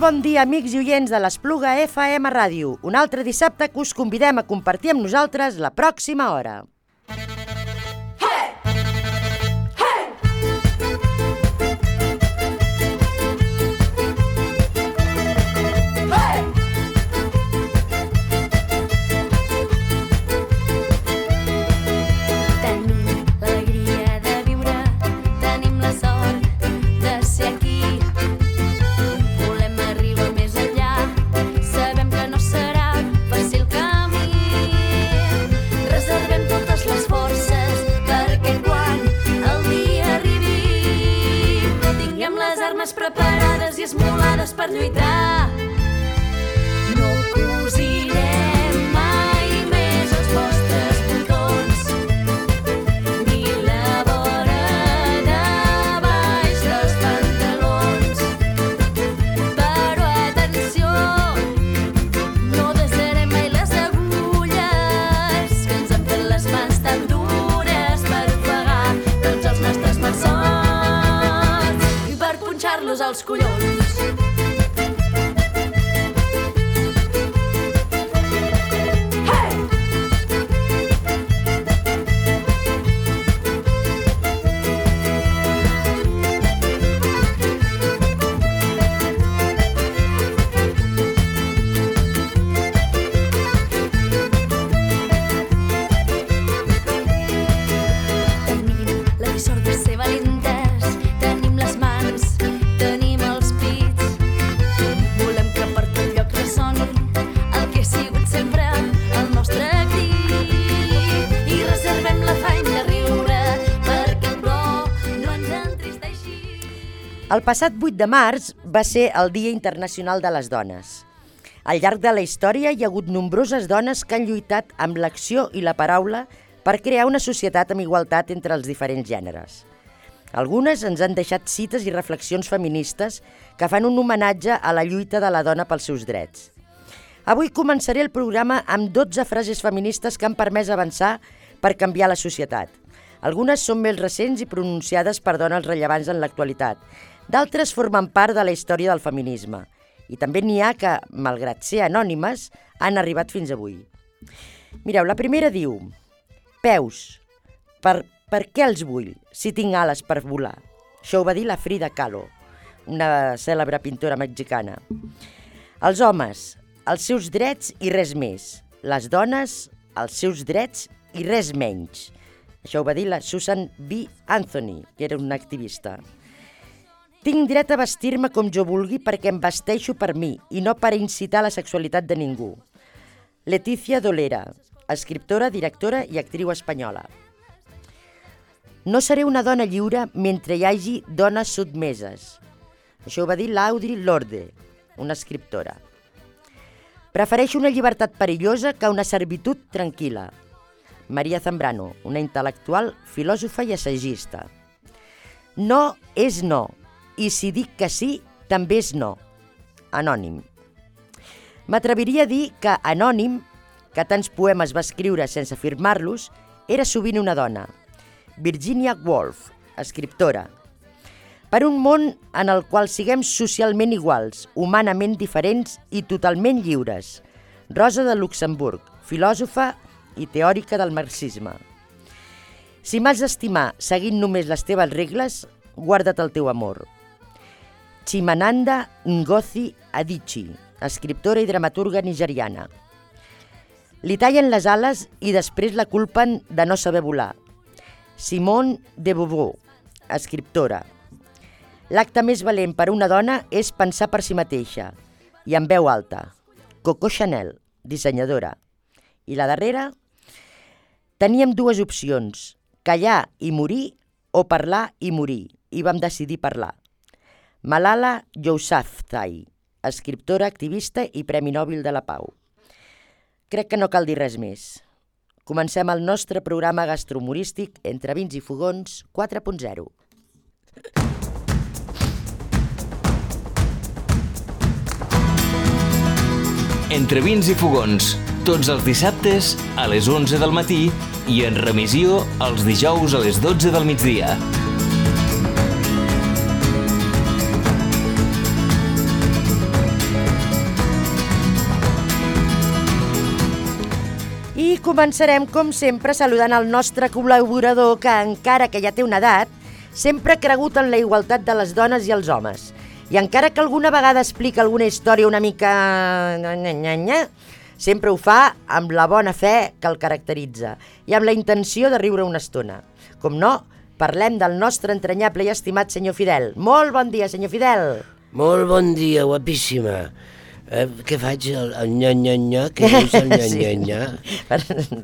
bon dia, amics i oients de l'Espluga FM Ràdio. Un altre dissabte que us convidem a compartir amb nosaltres la pròxima hora. Preparades i esmolades per lluitar. No cosirem mai més els vostres botons, ni la vora de baix dels pantalons. Però atenció, no desarem mai les agulles que ens han fet les mans tan dures per ofegar tots els nostres malsons punxar-los als collons. Tenim la dissort de ser valentes, tenim les mans, tenim els pits. Volem que per tot lloc ressoni el que ha sigut sempre el nostre crit. I reservem l'afany de riure perquè el plor no ens entristeixi. El passat 8 de març va ser el Dia Internacional de les Dones. Al llarg de la història hi ha hagut nombroses dones que han lluitat amb l'acció i la paraula per crear una societat amb igualtat entre els diferents gèneres. Algunes ens han deixat cites i reflexions feministes que fan un homenatge a la lluita de la dona pels seus drets. Avui començaré el programa amb 12 frases feministes que han permès avançar per canviar la societat. Algunes són més recents i pronunciades per dones rellevants en l'actualitat. D'altres formen part de la història del feminisme. I també n'hi ha que, malgrat ser anònimes, han arribat fins avui. Mireu, la primera diu: peus, per què els vull, si tinc ales per volar? Això ho va dir la Frida Kahlo, una cèlebre pintora mexicana. Els homes, els seus drets i res més. Les dones, els seus drets i res menys. Això ho va dir la Susan B. Anthony, que era una activista. Tinc dret a vestir-me com jo vulgui perquè em vesteixo per mi i no per incitar la sexualitat de ningú. Leticia Dolera, escriptora, directora i actriu espanyola. No seré una dona lliure mentre hi hagi dones sotmeses. Això ho va dir l'Audre Lorde, una escriptora. Prefereixo una llibertat perillosa que una servitud tranquil·la. Maria Zambrano, una intel·lectual, filòsofa i assagista. No és no, i si dic que sí, també és no. Anònim. M'atreviria a dir que Anònim, que tants poemes va escriure sense firmar-los, era sovint una dona. Virginia Woolf, escriptora. Per un món en el qual siguem socialment iguals, humanament diferents i totalment lliures. Rosa de Luxemburg, filòsofa i teòrica del marxisme. Si m'has d'estimar seguint només les teves regles, guarda't el teu amor. Chimamanda Ngozi Adichie, escriptora i dramaturga nigeriana. Li tallen les ales i després la culpen de no saber volar. Simone de Beauvoir, escriptora. L'acte més valent per a una dona és pensar per si mateixa, i en veu alta. Coco Chanel, dissenyadora. I la darrera? Teníem dues opcions, callar i morir o parlar i morir, i vam decidir parlar. Malala Yousafzai, escriptora, activista i Premi Nobel de la Pau. Crec que no cal dir res més. Comencem el nostre programa gastrohumorístic Entre vins i fogons 4.0. Entre vins i fogons, tots els dissabtes a les 11 del matí i en remissió els dijous a les 12 del migdia. començarem, com sempre, saludant el nostre col·laborador que, encara que ja té una edat, sempre ha cregut en la igualtat de les dones i els homes. I encara que alguna vegada explica alguna història una mica... sempre ho fa amb la bona fe que el caracteritza i amb la intenció de riure una estona. Com no, parlem del nostre entranyable i estimat senyor Fidel. Molt bon dia, senyor Fidel. Molt bon dia, guapíssima. Què faig? El nya-nya-nya? Què és el nya-nya-nya?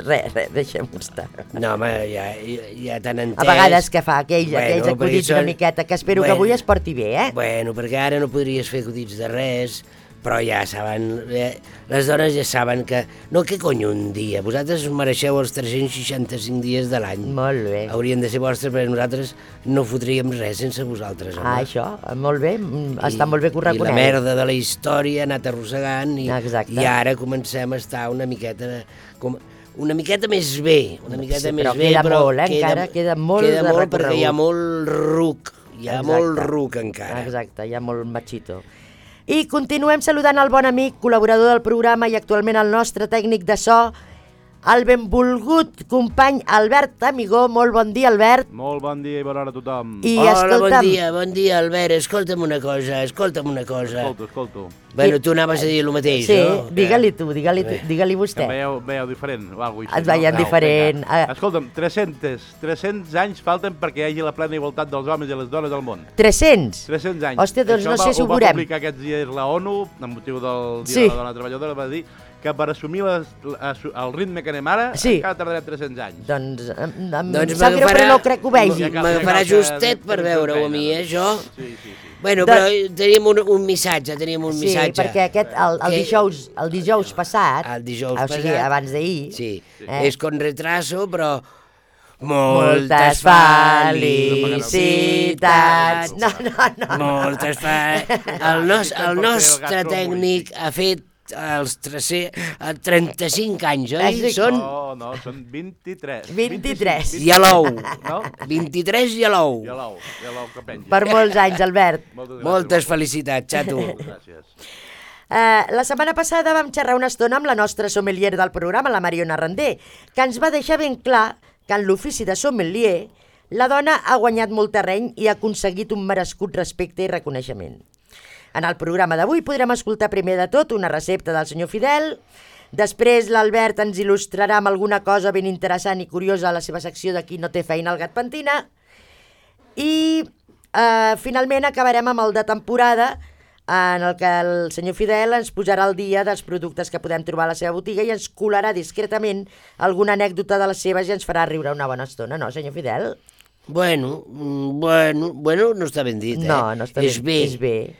Res, deixem-ho estar. No, home, ja t'han entès. A vegades que fa aquells acudits una miqueta, que espero que avui es porti bé, eh? Bueno, perquè ara no podries fer acudits de res, però ja saben, les dones ja saben que... No, què cony un dia? Vosaltres us mereixeu els 365 dies de l'any. Molt bé. Haurien de ser vostres, perquè nosaltres no fotríem res sense vosaltres, home. Ah, això, molt bé, està molt bé que ho reconeu. I la merda de la història ha anat arrossegant i ara comencem a estar una miqueta més bé, però queda molt, encara queda molt de recorregut. Queda molt perquè hi ha molt ruc, molt ruc encara. Exacte, hi ha molt machito. I continuem saludant el bon amic, col·laborador del programa i actualment el nostre tècnic de so, el benvolgut company Albert Amigó. Molt bon dia, Albert. Molt bon dia i bona hora a tothom. Hola, bon dia, Albert. Escolta'm una cosa. Escolto. Bueno, tu anaves a dir el mateix, sí, no? Sí, digue-li vostè. Em veieu diferent o alguna cosa així. Et veiem diferent. Escolta'm, 300 anys falten perquè hi hagi la plena igualtat dels homes i les dones al món. 300? 300 anys. Hòstia, doncs això no sé si ho veurem. Ho va publicar aquests dies la ONU, amb motiu del Dia de la Dona Treballadora, va dir que per assumir el ritme que anem ara encara tardarem 300 anys. Doncs em sap greu, però no crec que ho vegi. M'agafarà justet per veure-ho a mi, això. Sí. Bueno, però teníem un missatge, Sí, perquè el dijous passat, o sigui, abans d'ahir... Sí, és con retraso, però... Moltes felicitats! No. Moltes felicitats! El nostre tècnic ha fet els 35 anys, oi? No, són 23. 23. I a l'ou. 23 i a l'ou. I a l'ou que penja. Per molts anys, Albert. Moltes felicitats, xato. Gràcies. La setmana passada vam xerrar una estona amb la nostra sommelier del programa, la Mariona Randé, que ens va deixar ben clar que en l'ofici de sommelier la dona ha guanyat molt terreny i ha aconseguit un merescut respecte i reconeixement. En el programa d'avui podrem escoltar primer de tot una recepta del senyor Fidel, després l'Albert ens il·lustrarà amb alguna cosa ben interessant i curiosa a la seva secció de Qui no té feina al gat pentina, i finalment acabarem amb el de temporada, en el que el senyor Fidel ens posarà al dia dels productes que podem trobar a la seva botiga i ens colarà discretament alguna anècdota de les seves i ens farà riure una bona estona, no, senyor Fidel? Bueno, no està ben dit, eh? No està ben dit, és bé.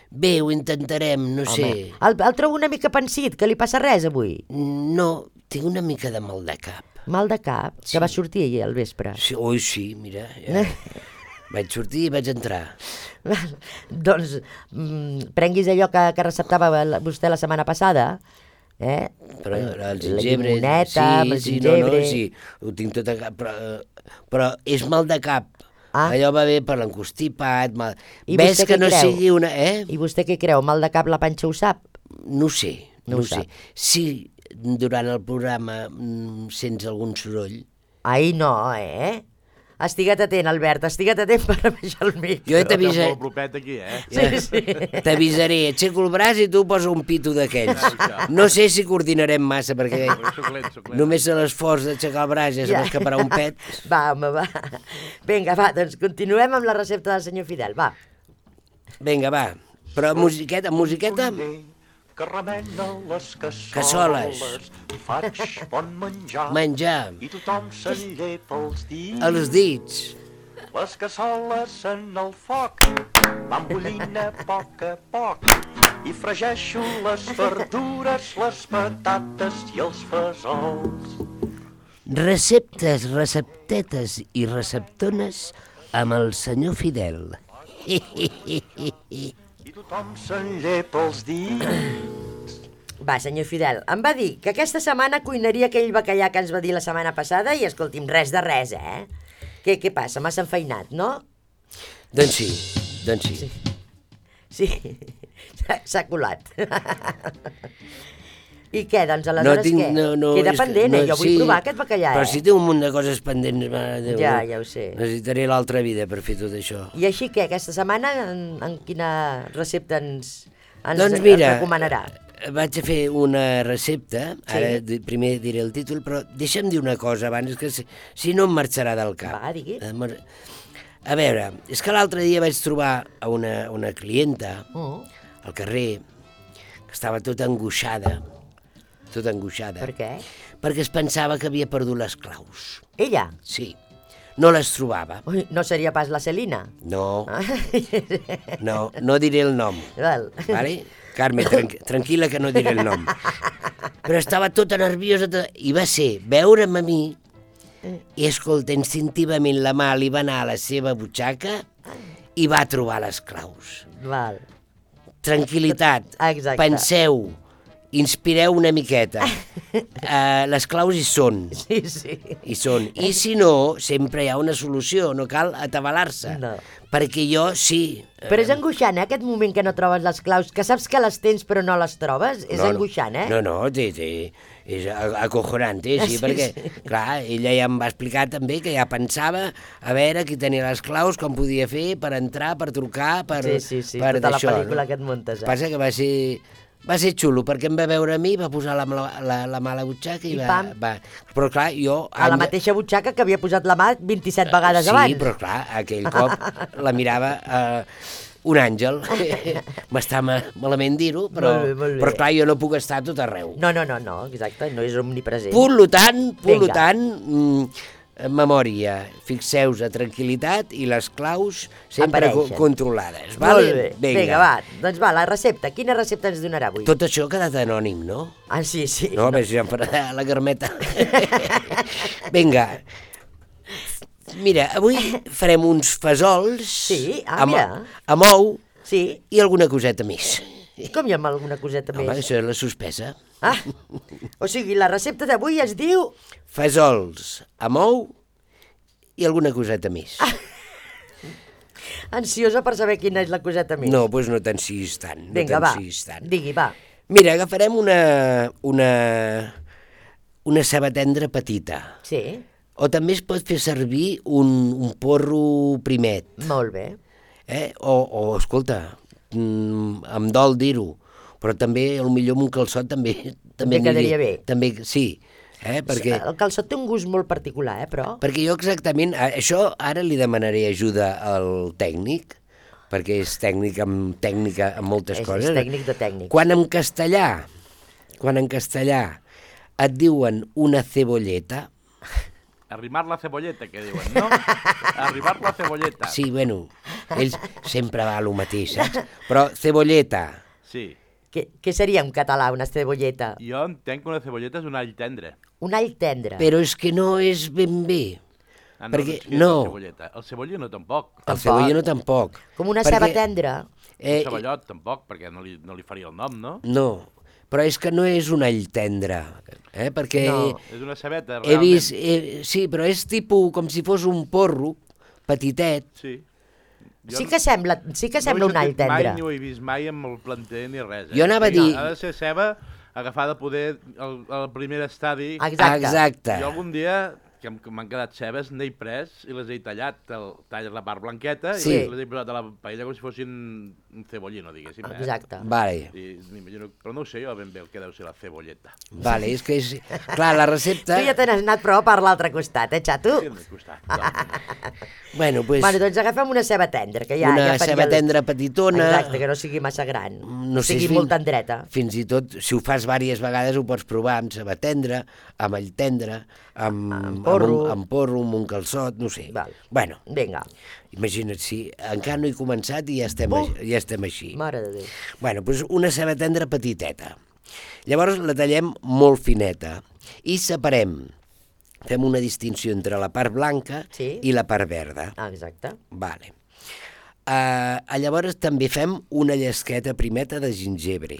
Bé, ho intentarem, no sé. El trobo una mica pensit, que li passa res avui? No, tinc una mica de mal de cap. Mal de cap? Sí. Que va sortir ahir al vespre? Sí, sí, mira, vaig sortir i vaig entrar. Doncs prenguis allò que receptava vostè la setmana passada, Però el gingebre... La llimoneta, el gingebre... Sí, ho tinc tot a cap, però és mal de cap. Allò va bé per l'encostipat, ves que no sigui una... I vostè què creu? Mal de cap la panxa ho sap? No ho sé. Si durant el programa sents algun soroll... Ai, no, Estigua't atent, Albert, estigua't atent per baixar el micro. Jo t'avisaré. Molt propet aquí, Sí. T'avisaré, aixeco el braç i tu posa un pito d'aquells. No sé si coordinarem massa, perquè només a l'esforç d'aixecar el braç ja se m'escaparà un pet. Va, home, va. Vinga, va, doncs continuem amb la recepta del senyor Fidel, va. Vinga, va. Però musiqueta... Que remena les cassoles. Faig bon menjar. I tothom se'n llepa els dits. Els dits. Les cassoles en el foc van bullint a poc i fregeixo les verdures, les patates i els fesols. Receptes, receptetes i receptones amb el senyor Fidel. Tothom se'n llepa els dits. Va, senyor Fidel, em va dir que aquesta setmana cuinaria aquell bacallà que ens va dir la setmana passada i, escolti'm, res de res, Què passa? M'has enfeinat, no? Doncs sí. Sí, s'ha colat. I què, doncs aleshores què? Queda pendent, jo vull provar aquest bacallà, Però si té un munt de coses pendents, mare de Déu. Ja ho sé. Necessitaré l'altra vida per fer tot això. I així què, aquesta setmana en quina recepta ens recomanarà? Vaig a fer una recepta, ara primer diré el títol, però deixa'm dir una cosa abans, que si no em marxarà del cap. Va, digui. A veure, és que l'altre dia vaig trobar a una clienta al carrer que estava tota angoixada. Per què? Perquè es pensava que havia perdut les claus. Ella? Sí. No les trobava. Ui, no seria pas la Celina? No. No diré el nom. Val. Vale? Carme, tranquil·la que no diré el nom. Però estava tota nerviosa i va ser veure'm a mi i, escolta, instintivament la mà li va anar a la seva butxaca i va trobar les claus. Val. Tranquil·litat. Exacte. Penseu, inspireu una miqueta. Les claus hi són. Sí. Hi són. I si no, sempre hi ha una solució, no cal atabalar-se. No. Perquè jo sí. Però és angoixant, aquest moment que no trobes les claus, que saps que les tens però no les trobes, és angoixant, No, és acojonante, sí, perquè, clar, ella ja em va explicar també que ja pensava a veure qui tenia les claus, com podia fer per entrar, per trucar, per Sí, per tota la d'això, pel·lícula que et muntes. Passa que va ser xulo, perquè em va veure a mi, va posar la mà a la butxaca i va... Però clar, jo... A la mateixa butxaca que havia posat la mà 27 vegades abans. Sí, però clar, aquell cop la mirava un àngel. M'està malament dir-ho, però clar, jo no puc estar a tot arreu. No, exacte, no és omnipresent. Per tant, memòria, fixeu-vos, tranquil·litat i les claus sempre controlades. Molt bé, vinga, va, doncs va, la recepta. Quina recepta ens donarà avui? Tot això ha quedat anònim, no? Ah, sí. No, a veure si em farà la Carmeta. Vinga, mira, avui farem uns fesols amb ou i alguna coseta més. Com hi ha alguna coseta més? Home, això és la suspesa. O sigui, la recepta d'avui es diu... Fesols amb ou i alguna coseta més. Ansiosa per saber quina és la coseta més. No, doncs no t'ensiis tant. Vinga, va, digui, va. Mira, agafarem una ceba tendra petita. Sí. O també es pot fer servir un porro primet. Molt bé. O escolta, em dol dir-ho, però també, potser amb un calçot també quedaria bé. També, sí. Perquè... El calçot té un gust molt particular, però... Perquè jo exactament, això ara li demanaré ajuda al tècnic, perquè és tècnica en moltes coses. És tècnic de tècnics. Quan en castellà et diuen una cebolleta... Arrimar la cebolleta, que diuen, no? Arribar la cebolleta. Sí, bueno, ells sempre va a lo mateix, saps? Però cebolleta... Sí. Què seria en català, una cebolleta? Jo entenc que una cebolleta és un all tendre. Un all tendre. Però és que no és ben bé. Perquè no. El cebollino tampoc. El cebollino tampoc. Com una ceba tendra. Un ceballot tampoc, perquè no li faria el nom, no? No, però és que no és un all tendre, perquè... No, és una cebeta, realment. Sí, però és tipus com si fos un porro petitet. Sí. Sí que sembla un all tendre. No ho he vist mai amb el planter ni res. Jo anava a dir... Ha de ser ceba agafada poder al primer estadi. Exacte. Jo algun dia, que m'han quedat cebes, n'he pres i les he tallat. Talles la part blanqueta i les he posat a la paella com si fossin un cebollino, diguéssim. Exacte. Vale. Però no ho sé jo ben bé el que deu ser la cebolleta. Vale, és que és... Clar, la recepta... Tu ja te n'has anat prou per l'altre costat, xato? Sí, al costat. Bueno, doncs agafem una ceba tendra, que una ceba tendra petitona... Exacte, que no sigui massa gran, sigui molt tendreta. Fins i tot, si ho fas diverses vegades, ho pots provar amb ceba tendra, amb all tendre, amb porro, amb un calçot, no sé. Bueno, vinga. Imagina't, si encara no he començat i ja estem així. Mare de Déu. Bueno, doncs una ceba tendra petiteta. Llavors la tallem molt fineta i separem. Fem una distinció entre la part blanca i la part verda. Exacte. Vale. Llavors també fem una llesqueta primeta de gingebre.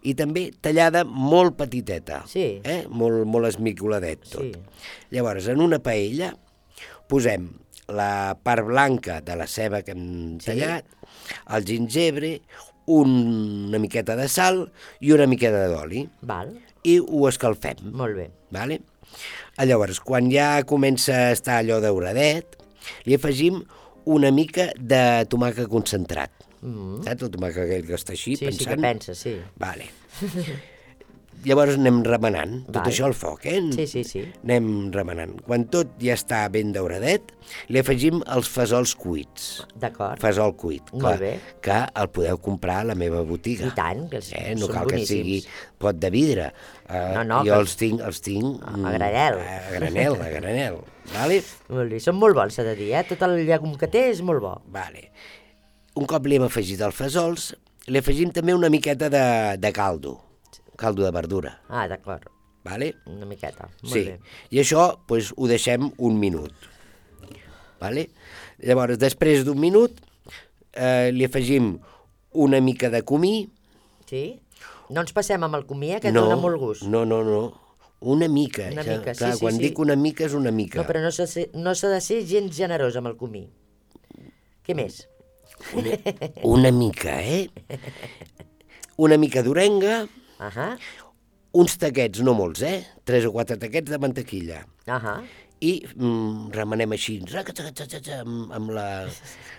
I també tallada molt petiteta. Sí. Molt esmicoladet tot. Llavors, en una paella posem la part blanca de la ceba que hem tallat, el gingebre, una miqueta de sal i una miqueta d'oli. Val, I ho escalfem. molt bé. Vale? Llavors, quan ja comença a estar allò dauradet, li afegim una mica de tomàquet concentrat. Saps el tomàquet aquell que està així, Sí, pensant? sí que pensa, sí. Vale. Llavors anem remenant, tot Val. això al foc, Sí, sí, sí. Anem remenant. Quan tot ja està ben dauradet, li afegim els fesols cuits. D'acord. Fesol cuit, Molt bé. que el podeu comprar a la meva botiga. I tant, que No són cal que boníssims. sigui pot de vidre. No, jo que- els tinc A granel. A granel, vale? Molt bé, són molt bons, s'ha de dir, Tot el llegum que té és molt bo. Vale. Un cop li hem afegit els fesols, li afegim també una miqueta de caldo de verdura, Ah, d'acord, vale? una miqueta, molt Sí, bé. i això pues, ho deixem un minut. Vale? Llavors, després d'un minut, li afegim una mica de comí. Sí? No ens passem amb el comí, que dona molt gust. No. Una mica. Una mica, Clar, sí, quan sí. dic una mica és una mica. No, però no s'ha de ser gens generós amb el comí. Què més? Una mica, Una mica d'orenga, Ahà, uns taquets, no molts, 3 o 4 taquets de mantequilla. ahà. I remenem així,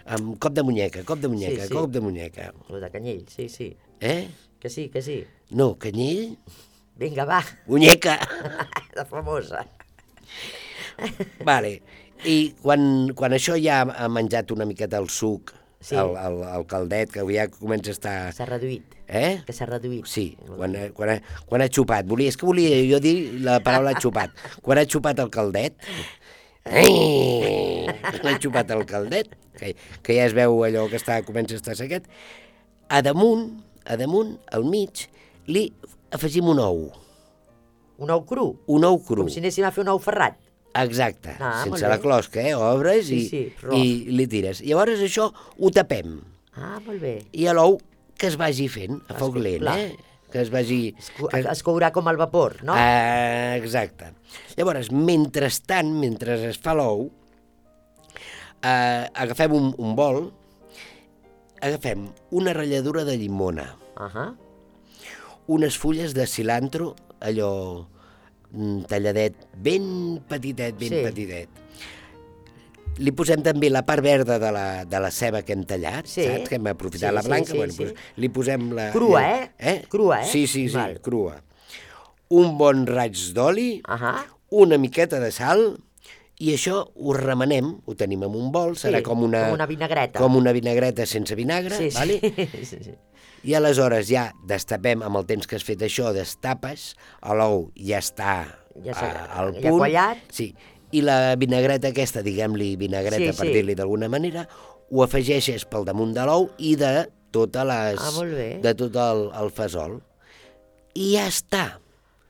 amb cop de muñeca, Sí, sí. cop de muñeca. Lo de canyell, sí, sí. Que sí, que sí. No, canyell, Vinga, va, muñeca. la famosa. Vale. I quan això ja ha menjat una miqueta el suc, Sí. el caldet, que ja comença a estar... S'ha reduït. Que s'ha reduït. Sí, quan ha xupat. És que volia jo dir la paraula xupat. Quan ha xupat el caldet, quan ha xupat el caldet, que ja es veu allò que comença a estar sequet, a damunt, al mig, li afegim un ou. Un ou cru, Un ou cru. com si anéssim a fer un ou ferrat. Exacte, Ah, molt sense la bé. closca, obres Sí, rof. i li tires. Llavors això ho tapem. Ah, molt bé. I a l'ou que es vagi fent a foc lent, clar. Que es vagi... Es courà com el vapor, no? Exacte. Llavors, mentrestant, mentre es fa l'ou, agafem un bol, agafem una ratlladura de llimona, Ahà. unes fulles de cilantro, allò talladet, ben petitet, Sí. petitet. Li posem també la part verda de la ceba que hem tallat, Sí. saps? Que hem aprofitat Sí, la sí, blanca, sí, bueno, sí. doncs li posem la... Crua, Crua, Sí, Val. crua. Un bon raig d'oli, Ahà. una miqueta de sal, i això ho remenem, ho tenim en un bol, serà Sí, com una vinagreta. com una vinagreta sense vinagre, Sí, sí. vale? sí, sí. I aleshores ja destapem, amb el temps que has fet això, destapes, l'ou ja està Ja s'ha- al ja punt. quallat. Sí, i la vinagreta aquesta, diguem-li vinagreta Sí, per sí. dir-li d'alguna manera, ho afegeixes pel damunt de l'ou i de totes les... Molt bé. De tot el fesol. I ja està.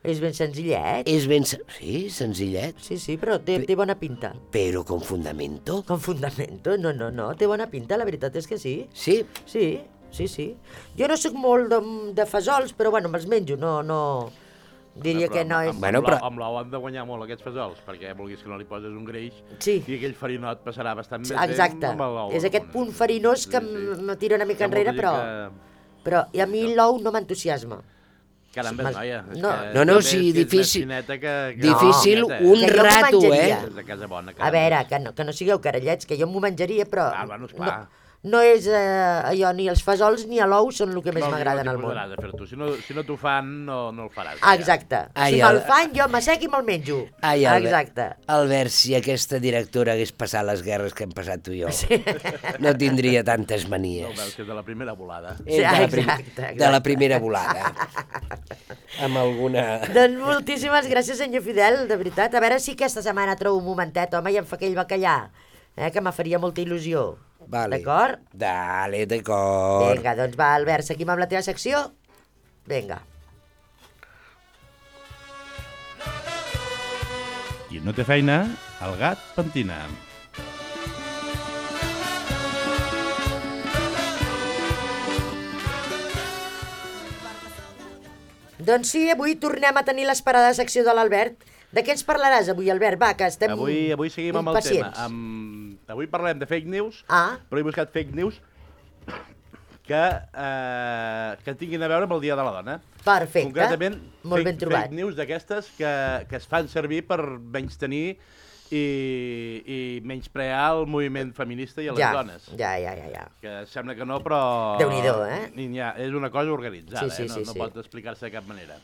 És ben senzillet. És ben... Sí, senzillet, Sí, sí, però té bona pinta. però con fundamento. Con fundamento, no, té bona pinta, la veritat és que sí. Sí, Sí. Jo no sóc molt de fesols, però bueno, me'ls menjo, no... Diria que no és... Bueno, però- Amb l'ou han de guanyar molt aquests fesols, perquè vulguis que no li poses un greix Sí. i aquell farinot passarà bastant més Exacte, temps amb l'ou. és aquest punt farinós que me tira una mica enrere, però i a mi l'ou no m'entusiasma. Caramba, noia. És No. que No, és sí, més difícil. fineta que difícil No, un Que jo m'ho rato, menjaria. És de casa bona. A veure, que no sigueu carallets, que jo m'ho menjaria, però Bueno, esclar. no és allò, ni els fesols ni l'ou són el que més m'agraden al món. podràs de fer tu. Si no t'ho fan, no el faràs. Exacte. Ai, Si me'l fan, jo m'assec i me'l menjo. Ai, Exacte. Albert, si aquesta directora hagués passat les guerres que hem passat tu i jo, no tindria tantes No manies. ho veus, que és de la primera volada. És de la exacte. De la primera volada. Amb alguna... Doncs moltíssimes gràcies, senyor Fidel, de veritat. A veure si aquesta setmana trobo un momentet, home, i em fa aquell bacallà, que me faria molta il·lusió. Vale. D'acord? Dale, d'acord. Vinga, doncs va, Albert, seguim amb la teva secció? Vinga. Qui no té feina, el gat pentina. Doncs sí, avui tornem a tenir l'esperada secció de l'Albert. De què ens parlaràs avui, Albert? Va, que estem Avui seguim amb el tema. impacients. Avui parlem de fake news, Ah. però he buscat fake news que tinguin a veure amb el Dia de la Dona. Perfecte, Concretament, molt ben trobat. fake news d'aquestes que es fan servir per menystenir i menysprear el moviment feminista i a les dones. Ja. Que sembla que no, però... Déu-n'hi-do, És una cosa organitzada, Sí, no pot explicar-se de cap manera.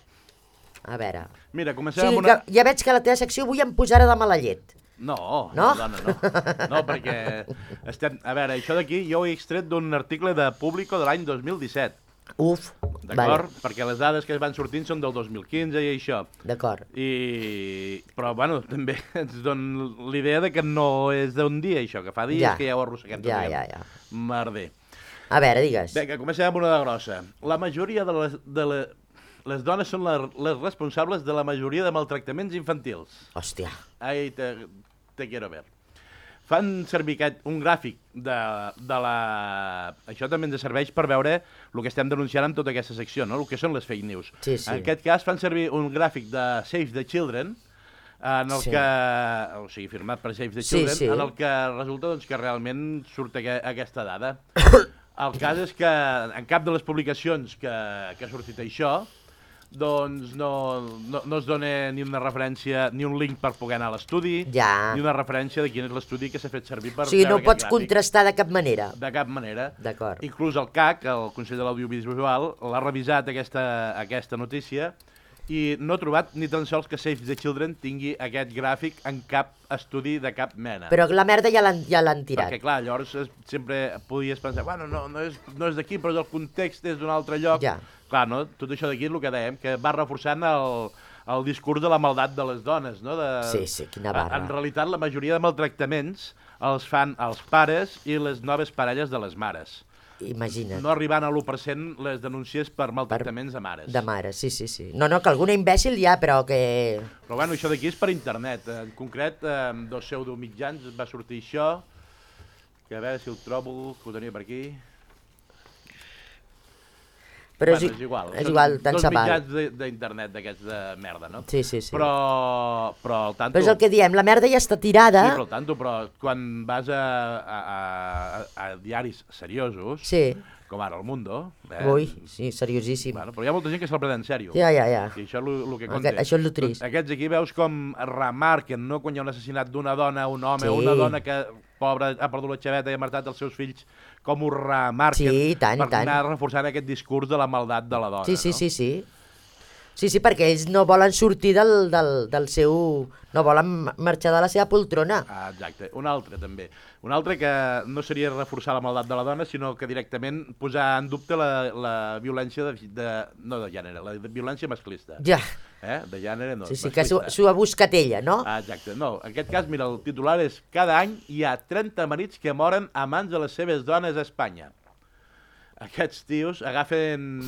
A veure... Mira, O comencem sigui amb una... que ja veig que a la teva secció avui em posarà de mala llet. No, No? dona, no. No, perquè estem... A veure, això d'aquí jo ho he extret d'un article de Público de l'any 2017. Uf, D'acord? Perquè les dades que van sortint són del 2015 i això. D'acord. Però, bueno, també ens dona l'idea de que no és d'un dia, això, que fa dies que ja ho arrosseguem. Ja. Merder. A veure, digues. Vinga, comencem amb una de grossa. La majoria de les dones són les responsables de la majoria de maltractaments infantils. Hòstia. Ahí te quiero ver. Fan servir un gràfic de la... Això també ens serveix per veure el que estem denunciant amb tota aquesta secció, no? El que són les fake news. Sí. En aquest cas fan servir un gràfic de Save the Children, en el que... O sigui, firmat per Save the Children, en el que resulta doncs, que realment surt aquesta dada. El cas és que en cap de les publicacions que ha sortit això, doncs no es dona ni una referència, ni un link per poder anar a l'estudi, ni una referència de quin és l'estudi que s'ha fet servir per... O sigui, no pots contrastar de cap manera. De cap manera. D'acord. Inclús el CAC, el Consell de l'Audiovisual, l'ha revisat aquesta notícia i no ha trobat ni tan sols que Save the Children tingui aquest gràfic en cap estudi de cap mena. Però la merda ja l'han tirat. Perquè, clar, llavors sempre podies pensar, bueno, no és d'aquí, però el context és d'un altre lloc. Ja. Clar, no? Tot això d'aquí és el que dèiem, que va reforçant el discurs de la maldat de les dones, no? Sí, quina barra. En realitat, la majoria de maltractaments els fan els pares i les noves parelles de les mares. Imagina't. No arribant a l'1% les denúncies per maltractaments de mares. De mares, sí. No, que alguna imbècil hi ha, però que... Però bueno, això d'aquí és per internet. En concret, dos pseudomitjans va sortir això, que a veure si el trobo, que ho tenia per aquí... Però és igual, tant se val. Dos mitjans d'internet d'aquests de merda, no? Sí. Però al tanto... Però és el que diem, la merda ja està tirada. Sí, però al tanto, però quan vas a diaris seriosos, com ara El Mundo... Ui, sí, seriosíssim. Bueno, però hi ha molta gent que se'l pren en sèrio. Ja. I això és el que conté. Això és el trist. Aquests aquí veus com remarquen, no?, quan hi ha un assassinat d'una dona, un home, una dona que, pobra, ha perdut la xaveta i ha matat els seus fills, com ho remarquen per anar reforçant aquest discurs de la maldat de la dona. Sí. Sí, perquè ells no volen sortir del seu... No volen marxar de la seva poltrona. Exacte. Un altre, també. Un altre que no seria reforçar la maldat de la dona, sinó que directament posar en dubte la violència no de gènere, la violència masclista. Ja. De gènere no. Sí, que s'ho ha buscat ella, no? Exacte. No, en aquest cas, mira, el titular és: cada any hi ha 30 marits que moren a mans de les seves dones a Espanya. Aquests tios agafen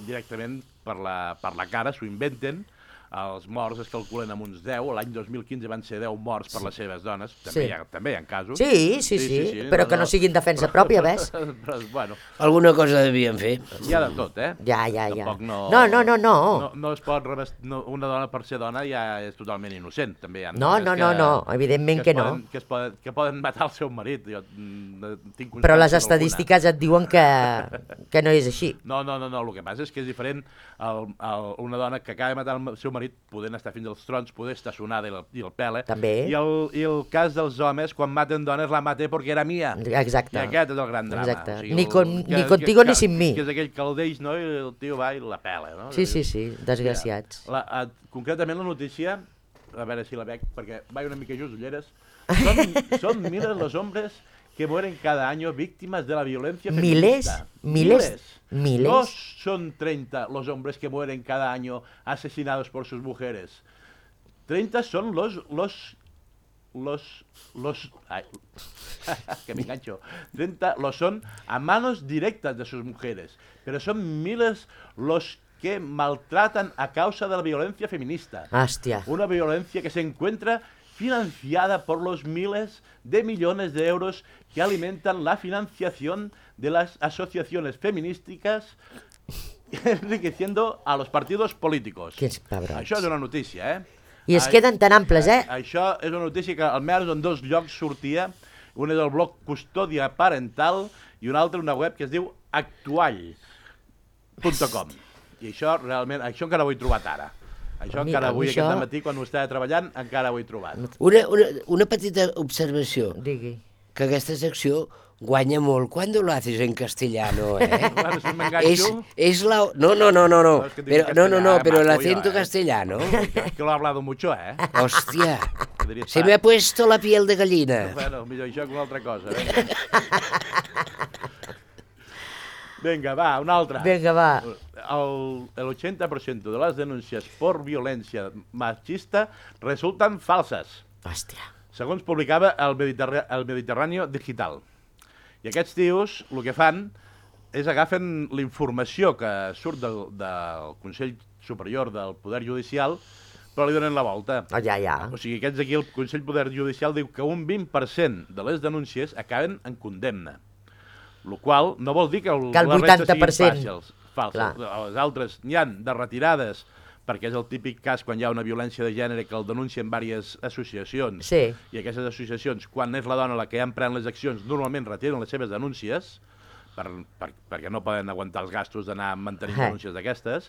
directament per la cara, s'ho inventen, els morts es calculen amb uns 10, l'any 2015 van ser 10 morts per les seves dones, també hi ha casos. Sí, però que no siguin defensa pròpia, ves? Però, bueno. Alguna cosa devien fer. Hi ha de tot, Ja. Tampoc no. No es pot una dona per ser dona ja és totalment innocent, també hi ha No, evidentment que no. Que poden matar el seu marit. Però les estadístiques et diuen que no és així. No, el que passa és que és diferent una dona que acaba de matar el seu marit podent estar fins als trons, poder estar sonada i el pela. També. I el cas dels homes, quan maten dones, la maté perquè era mia. Exacte. I aquest és el gran drama. Exacte. Ni contigo ni sin mi. Que és aquell que el deix, no? I el tio va i la pela, no? Sí, desgraciats. Concretament la notícia, a veure si la veig, perquè vaig una mica just ulleres, son miles los hombres que mueren cada año víctimas de la violencia feminista. Miles. No son 30 los hombres que mueren cada año asesinados por sus mujeres. 30 son ay, que me engancho. 30 lo son a manos directas de sus mujeres. Pero son miles los que maltratan a causa de la violencia feminista. Hostia. Una violencia que se encuentra financiada por los miles de millones de euros que alimentan la financiación de las asociaciones feministas, enriqueciendo a los partidos políticos. Quins cabrons. Això és una notícia, I es queden tan amples, Això és una notícia que almenys en 2 llocs sortia Un és el blog Custòdia Parental i un altre una web que es diu actuall.com. I això realment, això encara ho he trobat ara. Això encara avui, aquest dematí, quan ho estava treballant, encara ho he trobat. Una petita observació. Digui. Que aquesta secció guanya molt cuando lo haces en castellano, Bueno, si m'enganxo... Es la... No, pero el acento castellano. Que lo he hablado mucho, Hòstia, se me ha puesto la piel de gallina. Bueno, millor això que una altra cosa. Vinga, va, una altra. Vinga, va. El 80% de les denúncies por violència machista resulten falses. Hòstia. Segons publicava el Mediterráneo Digital. I aquests tios el que fan és agafen la informació que surt del Consell Superior del Poder Judicial, però li donen la volta. Ja. O sigui, aquests aquí, el Consell Poder Judicial diu que un 20% de les denúncies acaben en condemna. El qual no vol dir que el 80% falses. Les altres n'hi han de retirades, perquè és el típic cas quan hi ha una violència de gènere que el denuncien diverses associacions. Sí. I aquestes associacions, quan és la dona la que ja emprèn les accions, normalment retiren les seves denúncies, perquè no poden aguantar els gastos d'anar mantenint denúncies d'aquestes.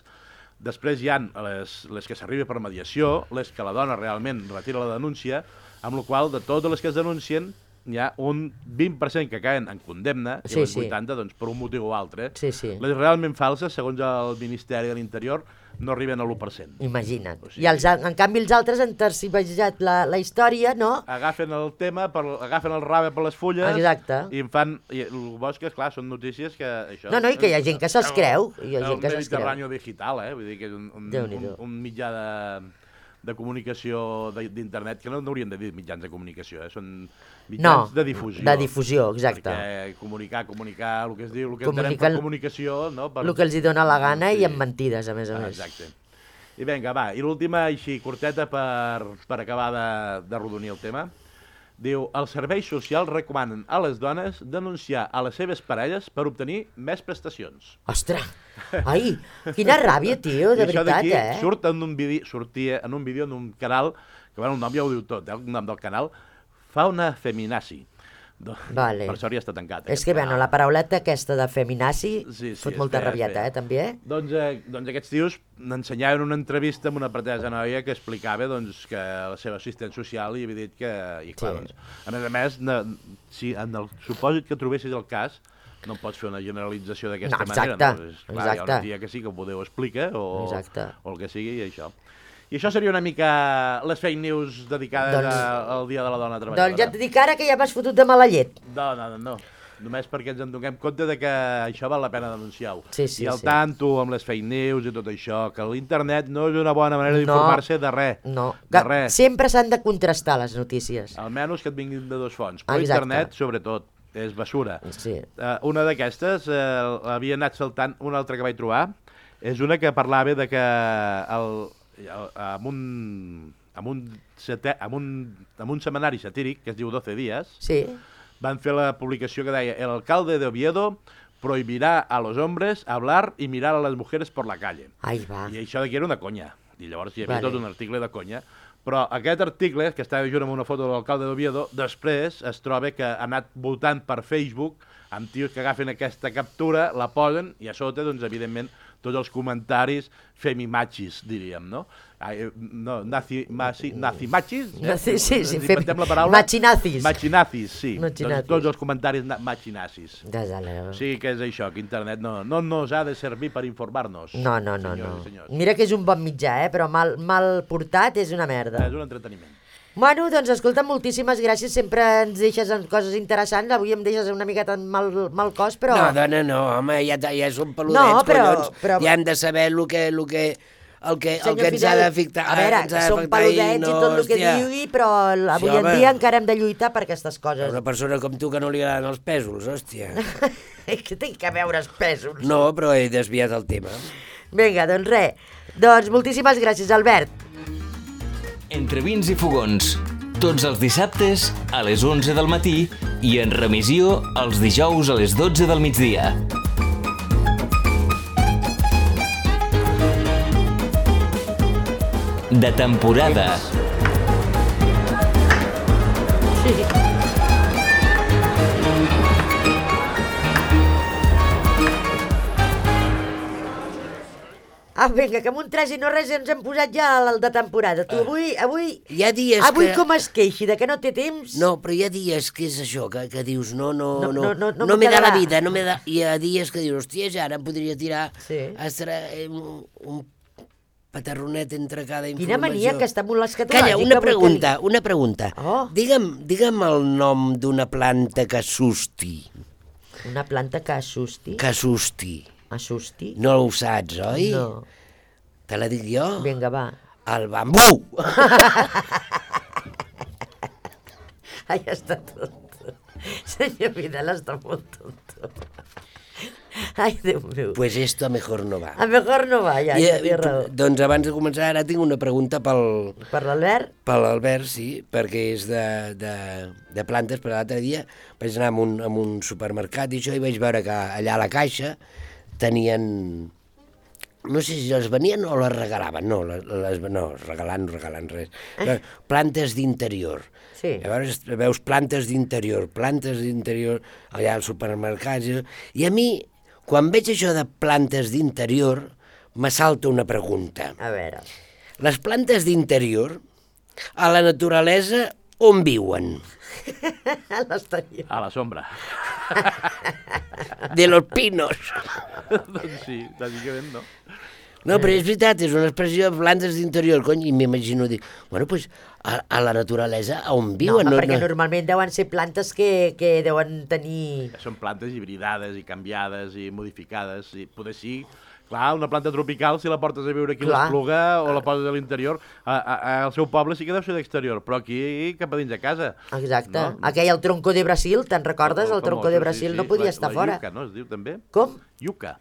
Després hi ha les que s'arriba per mediació, les que la dona realment retira la denúncia, amb la qual de totes les que es denuncien, hi ha un 20% que caen en condemna i les 80% doncs, per un motiu o altre. Les realment falses, segons el Ministeri de l'Interior, no arriben a l'1%. Imagina't. O sigui, I en canvi els altres han tercibejat la història, no? Agafen el tema, agafen el rave per les fulles. Exacte. I en fan... I el bo és que, esclar, són notícies que... Això, no, i que hi ha gent que se'ls creu. El Mediterráneo Digital, vull dir que és un mitjà de comunicació d'internet, que no haurien de dir mitjans de comunicació, són mitjans de difusió. De difusió, exacte. Perquè comunicar, el que es diu, el que entenem per comunicació... El que els hi dona la gana i amb mentides, a més a més. Exacte. I vinga, va, i l'última, així, curteta per acabar de rodonir el tema. Diu, els serveis socials recomanen a les dones denunciar a les seves parelles per obtenir més prestacions. Ostres! Ai, quina ràbia, tio, de veritat, sortia en un vídeo en un canal, que bueno, el nom ja ho diu tot, el nom del canal, Fauna Feminazi. Vale. Per sort ja està tancat. És que, bueno, la parauleta aquesta de feminazi fot molta rabieta, també. Doncs aquests tios n'ensenyaven una entrevista amb una pretesa noia que explicava que la seva assistent social li havia dit que... I clar, a més, si en el supòsit que trobessis el cas, no pots fer una generalització d'aquesta manera. Clar, hi ha una tia que sí que ho podeu explicar, o el que sigui, i això. I això seria una mica les fake news dedicades al Dia de la Dona Treballadora. Doncs ja et dic ara que ja m'has fotut de mala llet. No. Només perquè ens en donem compte que això val la pena denunciar-ho. I al tanto amb les fake news i tot això, que l'internet no és una bona manera d'informar-se de res. No, sempre s'han de contrastar les notícies. Almenys que et vinguin de dos fonts, però internet, sobretot, és basura. Sí. Una d'aquestes, havia anat saltant, una altra que vaig trobar, és una que parlava de que amb un setmanari satíric que es diu 12 días, van fer la publicació que deia el alcalde de Oviedo prohibirá a los hombres hablar y mirar a las mujeres por la calle. I això d'aquí era una conya. I llavors hi havia tot un article de conya. Però aquest article, que estava junt amb una foto de l'alcalde d'Oviedo, després es troba que ha anat voltant per Facebook amb tios que agafen aquesta captura, la posen i a sota, doncs, evidentment, tots els comentaris femimachis, diríem, no? Nazimachis? Sí, inventem la paraula. Machinazis. Machinazis, sí. Tots els comentaris machinazis. O sigui que és això, que internet no nos ha de servir per informar-nos. No. Mira que és un bon mitjà, però mal portat és una merda. És un entreteniment. Bueno, doncs escolta, moltíssimes gràcies, sempre ens deixes coses interessants, avui em deixes una miqueta mal cos, però... No, dona, no, home, ja són peludets, collons, ja hem de saber el que ens ha d'afectar. A veure, són peludets i tot el que digui, però avui en dia encara hem de lluitar per aquestes coses. Una persona com tu que no li agraden els pèsols, hòstia. Que tinc que veure els pèsols. No, però he desviat el tema. Vinga, doncs res. Doncs moltíssimes gràcies, Albert. Entre vins i fogons, tots els dissabtes a les 11 del matí i en remissió els dijous a les 12 del migdia. De temporada. Vinga, que amb un 3 i no res ens hem posat ja al de temporada. Tu avui Hi ha dies avui que... com es queixi de que no té temps? No, però hi ha dies que és això, que dius, no No m'he m'ho de la quedarà. vida, no m'he de... Hi ha dies que dius, hòstia, ja ara em podria tirar Sí. un patarronet entre cada informació. Quina mania que està molt escatològica. Calla, una pregunta. Oh. Digue'm el nom d'una planta que assusti. Una planta que assusti. Que assusti. Assusti? No ho saps, oi? No. Te la dic jo? Vinga, va. El bambú! Ai, està tonto. Senyor Vidal està molt tonto. Ai, Déu meu. Pues esto a mejor no va. A mejor no va, ja té raó. Doncs abans de començar, ara tinc una pregunta Per l'Albert? per l'Albert, sí, perquè és de plantes, però l'altre dia vaig anar a un supermercat i això i vaig veure que allà a la caixa tenien... No sé si les venien o les regalaven, no, regalant res. Plantes d'interior. Sí. Llavors veus plantes d'interior allà al supermercat. I a mi, quan veig això de plantes d'interior, m'assalta una pregunta. A veure. Les plantes d'interior, a la naturalesa, on viuen? A l'exterior. A la sombra. De los pinos. Doncs sí, bàsicament no. No, però és veritat, és una expressió de plantes d'interior, cony, i m'imagino, dic, bueno, doncs a la naturalesa on viuen? No, perquè normalment deuen ser plantes que deuen tenir... Són plantes hibridades i canviades i modificades. I poder sí, clar, una planta tropical, si la portes a viure aquí a l'Espluga o la poses a l'interior, al seu poble sí que deu ser d'exterior, però aquí cap a dins de casa. Exacte. No? Aquell, el tronco de Brasil, te'n recordes? El tronco de Brasil no podia estar fora. La iuca, no? Es diu també? Com? Iuca.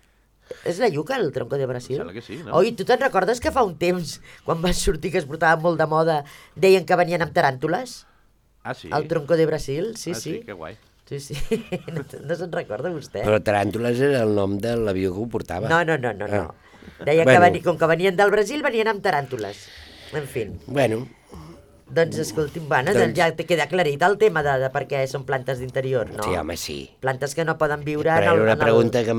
És la iuca, el tronco de Brasil? Sembla que sí, no? Oi, tu te'n recordes que fa un temps, quan van sortir que es portava molt de moda, deien que venien amb taràntules? Ah, sí? El tronco de Brasil, sí, sí. Que guai. Sí, sí. No se'n recorda vostè? Però taràntules era el nom de l'avió que ho portava. No. Deia que com que venien del Brasil, venien amb taràntules. En fi. Bueno. Doncs escolti'm, doncs ja te queda aclarit el tema de per què són plantes d'interior, no? Sí, home, sí. Plantes que no poden viure Però en el... era una pregunta que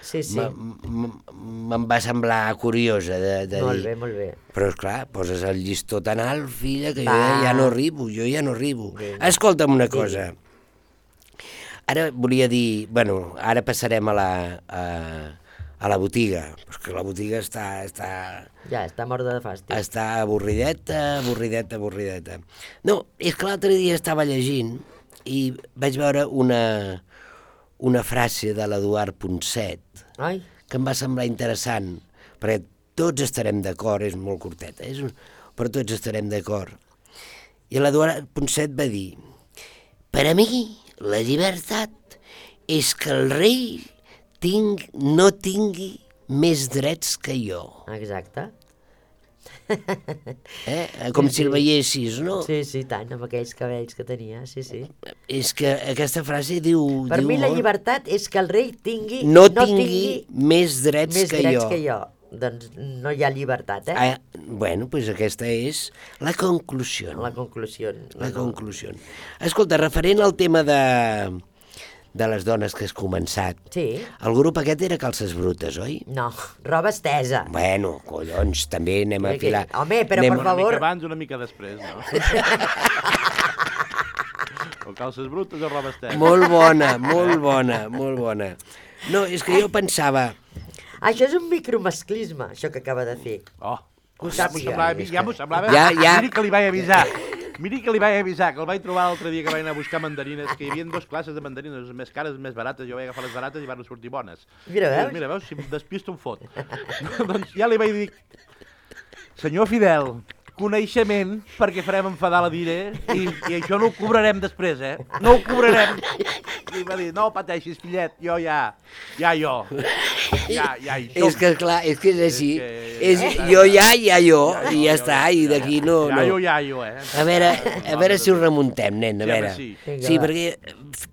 Sí. me'n va semblar curiosa de dir. Molt bé. Però, esclar, poses el llistó tan alt, filla, que jo ja no arribo, Vinga. Escolta'm una cosa. Ara volia dir... Bueno, ara passarem a la botiga, perquè la botiga està... Ja, està morta de fàstic. Està avorrideta. No, és que l'altre dia estava llegint i vaig veure una frase de l'Eduard Ponset que em va semblar interessant, perquè tots estarem d'acord, és molt curteta, però tots estarem d'acord. I l'Eduard Ponset va dir: per a mi la llibertat és que el rei no tingui més drets que jo. Exacte. Com si el veiessis, no? Sí, tant, amb aquells cabells que tenia, sí. És que aquesta frase diu... Per mi la llibertat és que el rei no tingui més drets que jo. Doncs no hi ha llibertat, Bueno, doncs aquesta és la conclusió. La conclusió. Escolta, referent al tema de les dones que has començat. Sí. El grup aquest era Calces Brutes, oi? No, roba estesa. Bueno, collons, també anem a filar. Home, però per favor... Una mica abans, una mica després, no? O Calces Brutes o roba estesa. Molt bona. No, és que jo pensava... Això és un micromasclisme, això que acaba de fer. Oh, ja m'ho semblava. Miri que li vaig avisar, que el vaig trobar l'altre dia que vaig anar a buscar mandarines, que hi havia 2 classes de mandarines, més cares, més barates, jo vaig agafar les barates i van sortir bones. Mira, veus? Mira, veus, si em despisto em fot. Doncs ja li vaig dir, senyor Fidel, coneixement, perquè farem enfadar la Dire, i això no ho cobrarem després, no ho cobrarem. I va dir, no pateixis, fillet, jo ja hi som. És que, esclar, és que és així. Jo, i ja està, i d'aquí no... Jo. A veure si ho remuntem, nen, a veure. Sí, perquè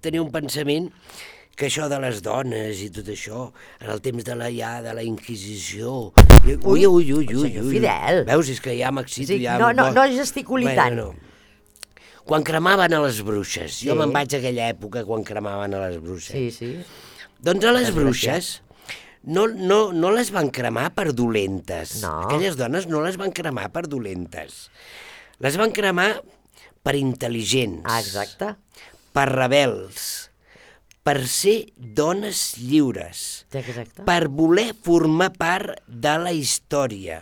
tenia un pensament que això de les dones i tot això, en el temps de la Inquisició... Ui. Senyor Fidel. Veus, és que ja m'excito. No gesticuli tant. Quan cremaven a les bruixes, jo me'n vaig a aquella època quan cremaven a les bruixes. Sí. Doncs a les bruixes no les van cremar per dolentes. No. Aquelles dones no les van cremar per dolentes. Les van cremar per intel·ligents. Exacte. Per rebels. Per ser dones lliures. Exacte. Per voler formar part de la història.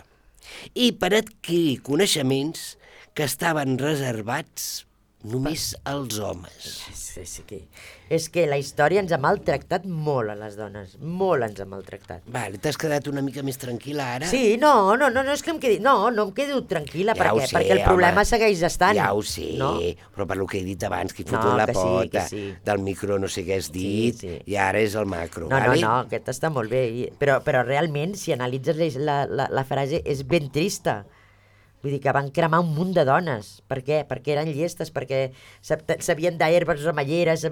I per adquirir coneixements que estaven reservats només als homes. És que la història ens ha maltractat molt a les dones, molt ens ha maltractat. Vale, t'has quedat una mica més tranquil·la ara? Sí, no és que em quedi... No em quedo tranquil·la, Ja ho sé, perquè el problema home. segueix estant. Ja ho sé, no? però per lo que he dit abans, que he No, fotut la que sí, pota que sí. del micro, no sé què has dit, sí. i ara és el macro, No, vale? no, aquest està molt bé, però realment, si analitzes la frase, és ben trista. Vull dir que van cremar un munt de dones. Per què? Perquè eren llestes, perquè sabien d'herbes remelleres,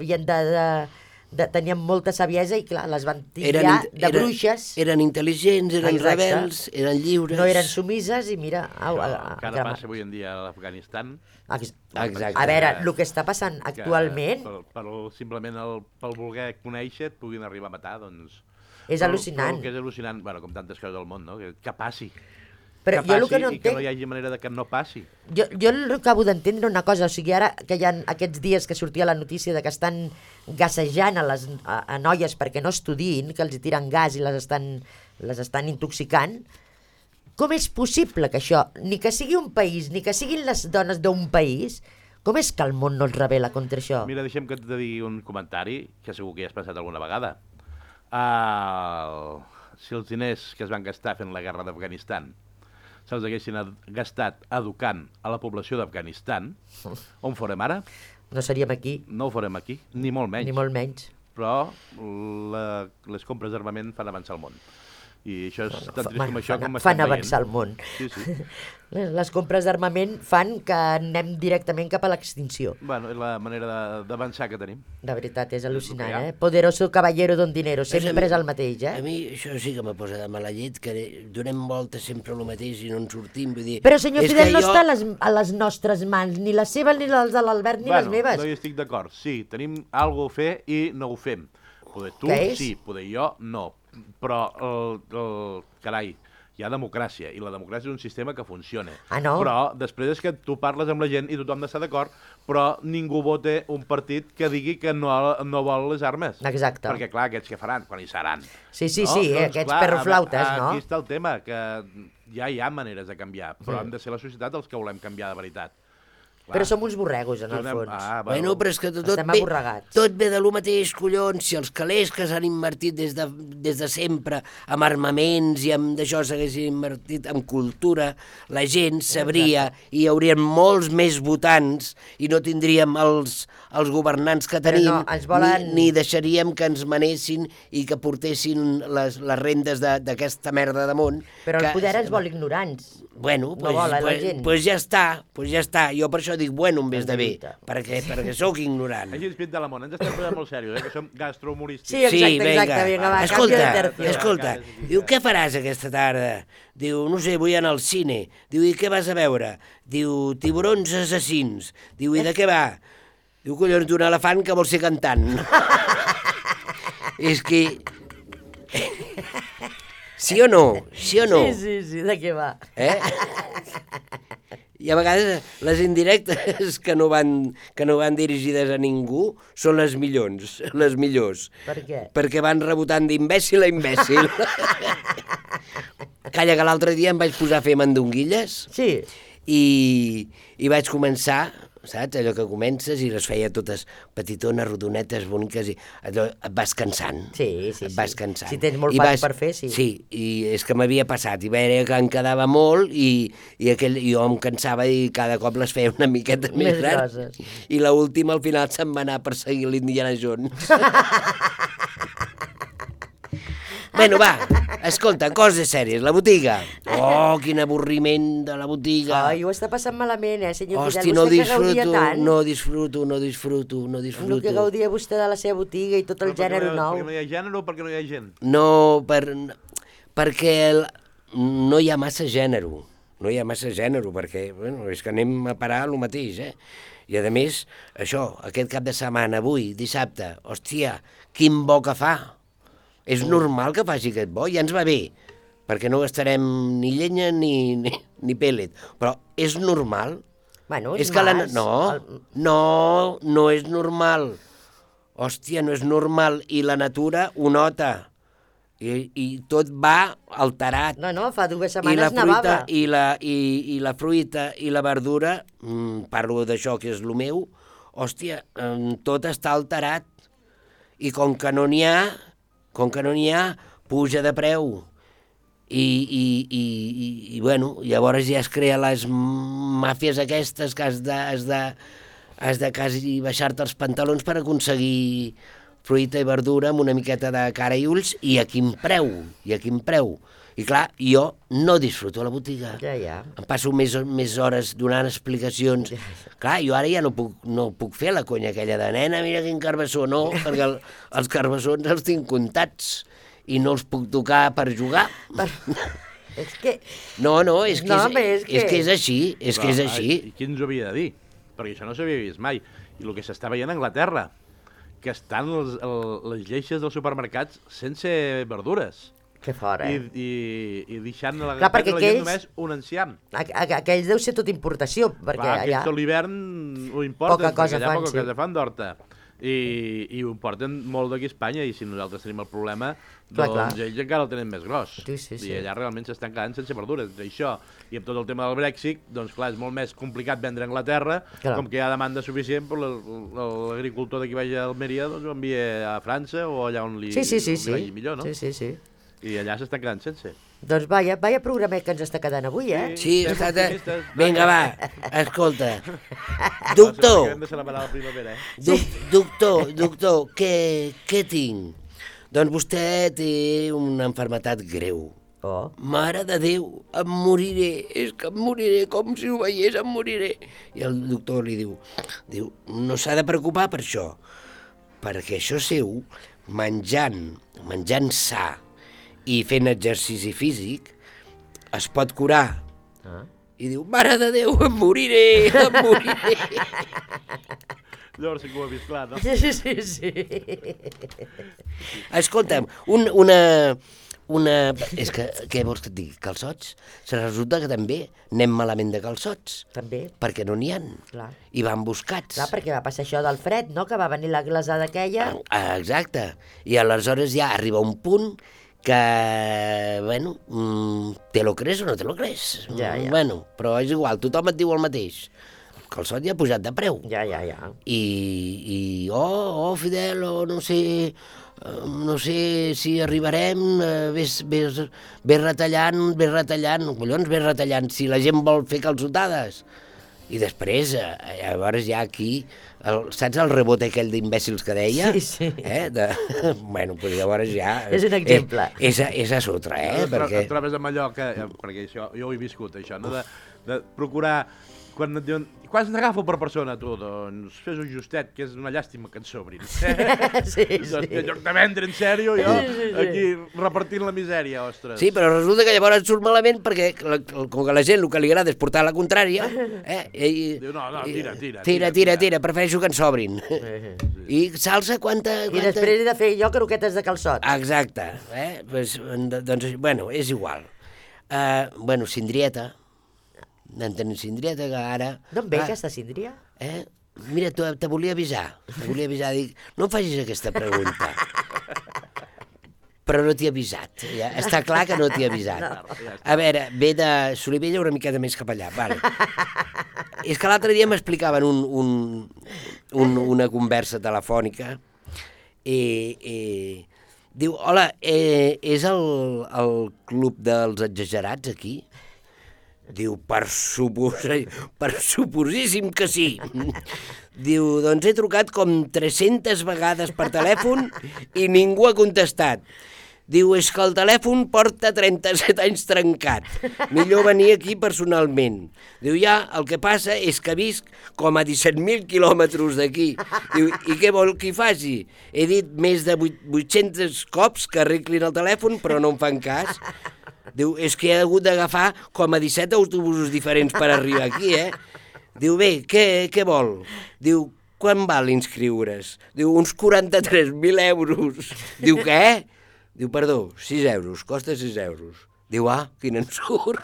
tenien molta saviesa i, clar, les van tirar de bruixes. Eren intel·ligents, eren Exacte. rebels, eren lliures. No eren sumises i mira... Encara passa avui en dia a l'Afganistan. Exacte. A veure, el que està passant actualment... Simplement pel voler conèixer et puguin arribar a matar, doncs... És al·lucinant. Però que és al·lucinant, bueno, com tantes coses del món, no? Que passi. Però que jo el passi que no i que no hi hagi manera de que no passi. Jo acabo d'entendre una cosa, o sigui, ara que hi ha aquests dies que sortia la notícia de que estan gassejant a noies perquè no estudiïn, que els tiren gas i les estan intoxicant, com és possible que això, ni que sigui un país, ni que siguin les dones d'un país, com és que el món no es rebel·la contra això? Mira, deixa'm que et digui un comentari, que segur que ja has pensat alguna vegada. Si els diners que es van gastar fent la guerra d'Afganistan se'ls haguessin gastat educant a la població d'Afganistan, on farem ara? No seríem aquí. No ho farem aquí, ni molt menys. Ni molt menys. Però les compres d'armament fan avançar el món. I això és tan trist com això com fan avançar el món. Sí. Les compres d'armament fan que anem directament cap a l'extinció. Bueno, és la manera d'avançar que tenim. De veritat, és al·lucinant, Poderoso caballero don dinero, sempre és el mateix, A mi això sí que me posa de mala llet, que donem voltes sempre el mateix i no en sortim, vull dir... Però senyor Fidel, no està a les nostres mans, ni les seves, ni les de l'Albert, ni les meves. No hi estic d'acord. Sí, tenim alguna cosa a fer i no ho fem. Poder tu, sí, poder jo, no. Però, carai, hi ha democràcia, i la democràcia és un sistema que funciona. No? Però després és que tu parles amb la gent i tothom està d'acord, però ningú vota un partit que digui que no vol les armes. Exacte. Perquè, clar, aquests que faran, quan hi seran. Sí, aquests perroflautes, no? Aquí està el tema, que ja hi ha maneres de canviar, però hem de ser la societat els que volem canviar de veritat. Clar. Però som uns borregos, en el fons. Bueno, però és que tot ve de lo mateix, collons. Si els calés que s'han invertit des de sempre amb armaments i amb d'això s'haguessin invertit en cultura, la gent sabria i hi haurien molts més votants i no tindríem els governants que tenim, ni deixaríem que ens manessin i que portessin les rendes d'aquesta merda de món. Però el poder ens vol ignorants. Bueno, pues ja està. Jo per això dic bueno en vez de bé, perquè sóc ignorant. Així ens pinta la món, ens estem posant molt serios, que som gastrohumorístics. Sí, exacte, vinga, va, canvio de tercio. Escolta, diu, què faràs aquesta tarda? Diu, no sé, vull anar al cine. Diu, i què vas a veure? Diu, tiburons assassins. Diu, i de què va? Diu, collons, d'un elefant que vol ser cantant. És que... Sí o no? Sí, de què va? I a vegades les indirectes que no van dirigides a ningú són les millors. Per què? Perquè van rebotant d'imbècil a imbècil. Calla, que l'altre dia em vaig posar a fer mandonguilles. Sí. I vaig començar, saps, allò que comences i les feia totes petitones, rodonetes, boniques, i allò et vas cansant. Sí. Et vas cansant. Si tens molt pas per fer, sí. Sí, i és que m'havia passat, i veia que em quedava molt, i jo em cansava i cada cop les feia una miqueta més grans. I l'última, al final, se'm va anar a perseguir l'Indiana Jones. Bueno, va, escolta, coses sèries, la botiga. Oh, quin avorriment de la botiga. Ai, ho està passant malament, senyor Fidel. Hòstia, no disfruto. El que gaudia vostè de la seva botiga i tot el gènere nou. Perquè no hi ha gènere o perquè no hi ha gent? No, perquè no hi ha massa gènere. No hi ha massa gènere, perquè és que anem a parar el mateix, I a més, això, aquest cap de setmana, avui, dissabte, hòstia, quin bo que fa. És normal que faci aquest bo, ja ens va bé, perquè no gastarem ni llenya ni pellet, però és normal. Bueno, és que no és normal. Hòstia, no és normal, i la natura ho nota. I tot va alterat. No, fa 2 setmanes nevava. I la fruita i la verdura, parlo d'això que és el meu, hòstia, tot està alterat. I com que no n'hi ha, puja de preu. I bueno, llavors ja es creen les màfies aquestes que has de quasi baixar-te els pantalons per aconseguir fruita i verdura amb una miqueta de cara i ulls, i a quin preu. I clar, jo no disfruto a la botiga. Ja. Em passo més hores donant explicacions. Clar, jo ara ja no puc fer la conya aquella de nena, mira quin carbassó, no, perquè els carbassons els tinc comptats i no els puc tocar per jugar. És que... No, és que és així, I qui ens ho havia de dir? Perquè això no s'havia vist mai. I el que s'està veient a Anglaterra, que estan les lleixes dels supermercats sense verdures. Que fora, I deixant a la gent només un enciam. Aquells deu ser tot importació, perquè allà... Aquests a l'hivern ho importen, poca cosa fan d'horta. I ho importen molt d'aquí a Espanya, i si nosaltres tenim el problema, doncs ells encara el tenen més gros. Sí. I allà realment s'estan quedant sense verdures. Això, i amb tot el tema del Brexit, doncs clar, és molt més complicat vendre a Anglaterra, com que hi ha demanda suficient, però l'agricultor d'aquí baix a Almeria doncs ho envia a França o allà on li vagi millor, no? Sí. I allà s'estan quedant sense. Doncs vaya programet que ens està quedant avui, eh? Sí, vinga, va, escolta. Doctor, què tinc? Doncs vostè té una malaltia greu. Oh. Mare de Déu, em moriré, és que em moriré, com si ho veiés, em moriré. I el doctor li diu, no s'ha de preocupar per això, perquè això seu, menjant sa i fent exercici físic, es pot curar. I diu, mare de Déu, em moriré. Llavors sí que ho he vist clar, no? Sí. Escolta'm, és que, què vols que et digui? Calçots? Se resulta que també anem malament de calçots. També. Perquè no n'hi ha. Clar. I van buscats. Clar, perquè va passar això del fred, no?, que va venir la glaçada aquella. Exacte. I aleshores ja arriba un punt que, bueno, te lo crees o no te lo crees? Ja. Bueno, però és igual, tothom et diu el mateix. El calçot ja ha pujat de preu. Ja. I Fidel, no sé si arribarem, ves retallant, collons, ves retallant, si la gent vol fer calçotades. I després, llavors ja aquí, saps el rebot aquell d'imbècils que deia? Sí. Bueno, doncs llavors ja... És un exemple. És a sotra, perquè... Et trobes amb allò que... Perquè això, jo ho he viscut, això, no? De procurar... Quan et diuen, quants n'agafo per persona, tu? Doncs fes un justet, que és una llàstima que ens sobrin. Sí. Doncs en lloc de vendre en sèrio, jo aquí repartint la misèria, ostres. Sí, però resulta que llavors et surt malament perquè com que a la gent el que li agrada és portar la contrària, diu, no, tira, prefereixo que en sobrin. I salsa quanta... I després he de fer jo croquetes de calçot. Exacte. Doncs, bueno, és igual. Bueno, cindrieta. En tenim cindrieta, que ara... D'on ve aquesta cindria? Mira, te volia avisar, dic, no em facis aquesta pregunta. Però no t'hi he avisat, ja. Està clar que no t'hi he avisat. A veure, ve de Solivella una miqueta més cap allà, vale. És que l'altre dia m'explicaven una conversa telefònica i diu, hola, és el club dels exagerats aquí? Diu, per suposíssim que sí. Diu, doncs he trucat com 300 vegades per telèfon i ningú ha contestat. Diu, és que el telèfon porta 37 anys trencat. Millor venir aquí personalment. Diu, ja, el que passa és que visc com a 17.000 quilòmetres d'aquí. Diu, i què vol que hi faci? He dit més de 800 cops que arreglin el telèfon, però no em fan cas. Diu, és que he hagut d'agafar com a 17 autobusos diferents per arribar aquí, Diu, bé, què vol? Diu, quan val inscriure's? Diu, uns 43.000 euros. Diu, què? Diu, perdó, 6 euros, costa 6 euros. Diu, quin en surt.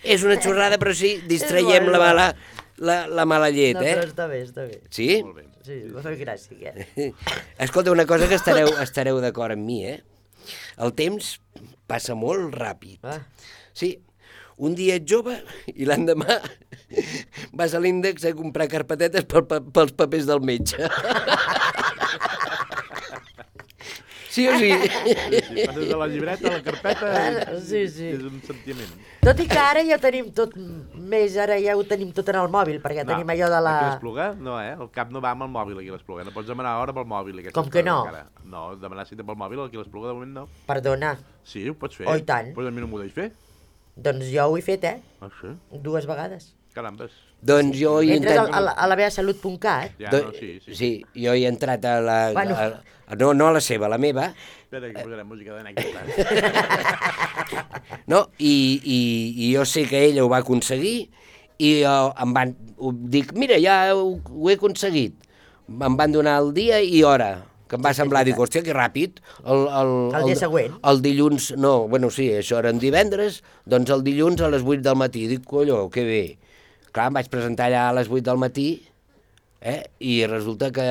És una xorrada, però sí, distraiem la mala llet, No, però està bé, està bé. Sí? Molt bé. Sí, m'ha fet gràcia. Escolta, una cosa que estareu d'acord amb mi, El temps passa molt ràpid. Sí, un dia ets jove i l'endemà vas a l'índex a comprar carpetetes pels papers del metge. Sí o sí? Sí, passes de la llibreta a la carpeta, Sí. és un sentiment. Tot i que ara ja ho tenim tot més, ara ja ho tenim tot en el mòbil, perquè tenim allò de la... Aquí a l'Espluga, no, el cap no va amb el mòbil aquí a l'Espluga, no pots demanar hora pel mòbil. Com que no? No, demanar cita pel mòbil aquí a l'Espluga de moment no. Perdona, Sí, ho pots fer. Oh, i tant. Però a mi no m'ho deix fer. doncs jo ho he fet, Sí? 2 vegades. Carambes. Doncs jo he Entres entrat... a la mevasalut.cat. Ja, no, sí. Sí, jo he entrat a la... Bueno. No a la seva, a la meva. Espera, que posarem música d'anècdota. No, i jo sé que ella ho va aconseguir i dic, mira, ja ho he aconseguit. Em van donar el dia i hora, que em va semblar, dic, hòstia, que ràpid. El dia següent? El dilluns, no, bueno, sí, això era en divendres, doncs el dilluns a les 8 del matí. Dic, colló, que bé. Clar, em vaig presentar allà a les 8 del matí, i resulta que